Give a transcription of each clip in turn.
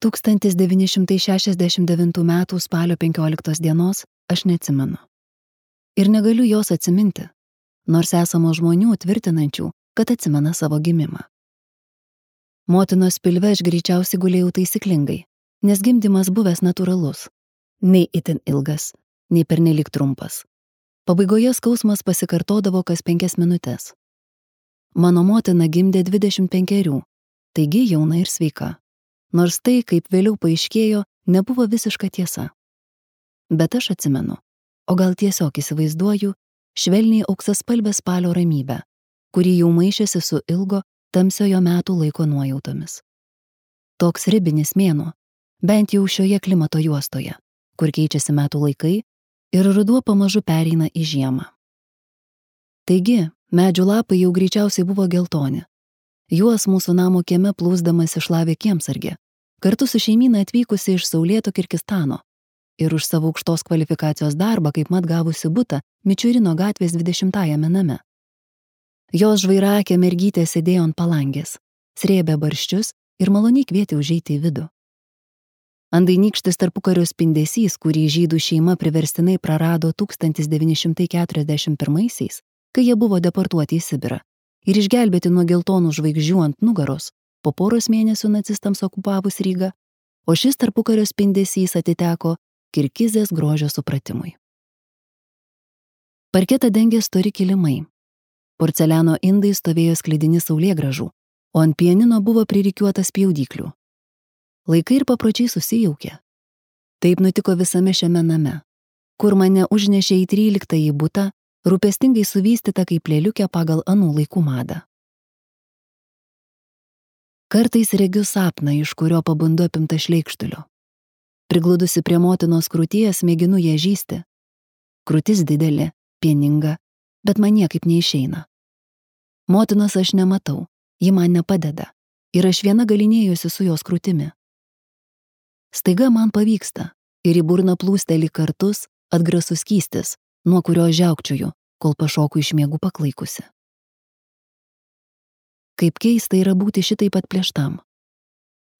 1969 m. spalio 15 dienos aš neatsimenu. Ir negaliu jos atsiminti, nors esamo žmonių tvirtinančių, kad atsimena savo gimimą. Motinos pilve aš greičiausiai gulėjau taisyklingai, nes gimdymas buvęs natūralus, nei itin ilgas, nei pernelyg trumpas. Pabaigoje skausmas pasikartodavo kas 5 minutes. Mano motina gimdė 25, taigi jauna ir sveika, nors tai, kaip vėliau paaiškėjo, nebuvo visiška tiesa. Bet aš atsimenu, o gal tiesiog įsivaizduoju, švelniai auksaspalvę spalio ramybę, kuri jau maišėsi su ilgo, tamsiojo metų laiko nuojautomis. Toks ribinis mėnuo, bent jau šioje klimato juostoje, kur keičiasi metų laikai ir ruduo pamažu pereina į žiemą. Taigi, medžių lapai jau greičiausiai buvo geltoni. Juos mūsų namo kieme plūsdamas išlavė kiemsargė, kartu su šeimyna atvykusi iš saulėto Kirgizstano ir už savo aukštos kvalifikacijos darbą kaip mat gavusi butą Mičiurino gatvės 20-ajame name. Jos žvairakė mergytė sėdėjo ant palangės, srėbė barščius ir maloniai kvietė užeiti į vidų. Andainykštis tarpukario spindesys, kurį žydų šeima priverstinai prarado 1941-aisiais, kai jie buvo deportuoti į Sibirą ir išgelbėti nuo geltonų žvaigždžių ant nugaros, po poros mėnesių nacistams okupavus Rygą, o šis tarpukario spindesys atiteko Kirgizės grožio supratimui. Parketą dengė stori kilimai. Porceliano indai stovėjo sklidini saulėgrąžų, o ant pianino buvo pririkiuotas spjaudyklių. Laikai ir papročiai susijaukė. Taip nutiko visame šiame name, kur mane užnešė į 13-ąjį butą, rūpestingai suvystytą kaip lėliukę pagal anų laikų madą. Kartais regiu sapną, iš kurio pabundu apimta šleikštulio. Prigludusi prie motinos krūties, mėginu ją žįsti. Krūtis didelė, pieninga, bet man niekaip neišeina. Motinos aš nematau, ji man nepadeda ir aš viena galinėjusi su jos krūtimi. Staiga man pavyksta ir į burną plūsteli kartus atgrasus skystis, nuo kurio žiaukčiuju, kol pašoku iš miegų paklaikusi. Kaip keista yra būti šitaip atplėštam.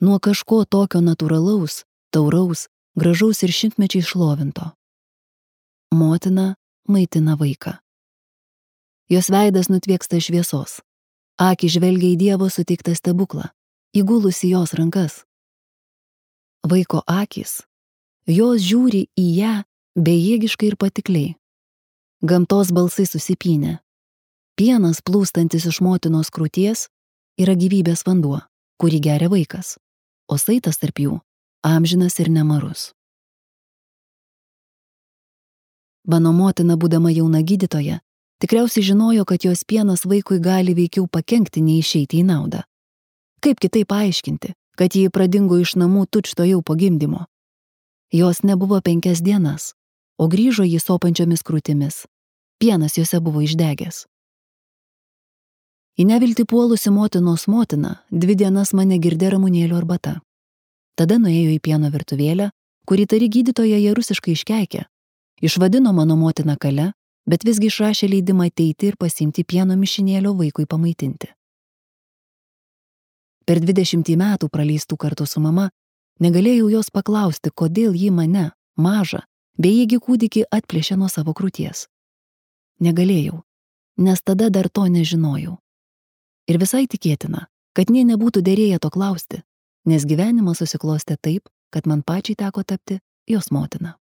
Nuo kažko tokio natūralaus, tauraus, gražaus ir šimtmečiai šlovinto. Motina maitina vaiką. Jos veidas nutvieksta šviesos. Akys žvelgia į Dievo suteiktą stebuklą, įgulusi jos rankas. Vaiko akys, jos žiūri į ją bejėgiškai ir patikliai. Gamtos balsai susipynė. Pienas plūstantis iš motinos krūties yra gyvybės vanduo, kurį geria vaikas, o saitas tarp jų amžinas ir nemarus. Mano motina, būdama jauna gydytoja, tikriausiai žinojo, kad jos pienas vaikui gali veikiau pakenkti, nei išeiti į naudą. Kaip kitaip paaiškinti, kad ji pradingo iš namų tučtuojau po gimdymo? Jos nebuvo 5 dienas, o grįžo jį sopančiomis krūtimis. Pienas jose buvo išdegęs. Į neviltį puolusi motinos motina 2 dienas mane girdė ramunėlių arbata. Tada nuėjo į pieno virtuvėlę, kurį tari gydytoja ją rusiškai iškeikė. Išvadino mano motiną kale, bet visgi išrašė leidimą ateiti ir pasiimti pieno mišinėlio vaikui pamaitinti. Per 20 metų praleistų kartu su mama negalėjau jos paklausti, kodėl ji mane, mažą, bejėgį kūdikį atplėšė nuo savo krūties. Negalėjau, nes tada dar to nežinojau. Ir visai tikėtina, kad nė nebūtų derėję to klausti, nes gyvenimas susiklostė taip, kad man pačiai teko tapti jos motina.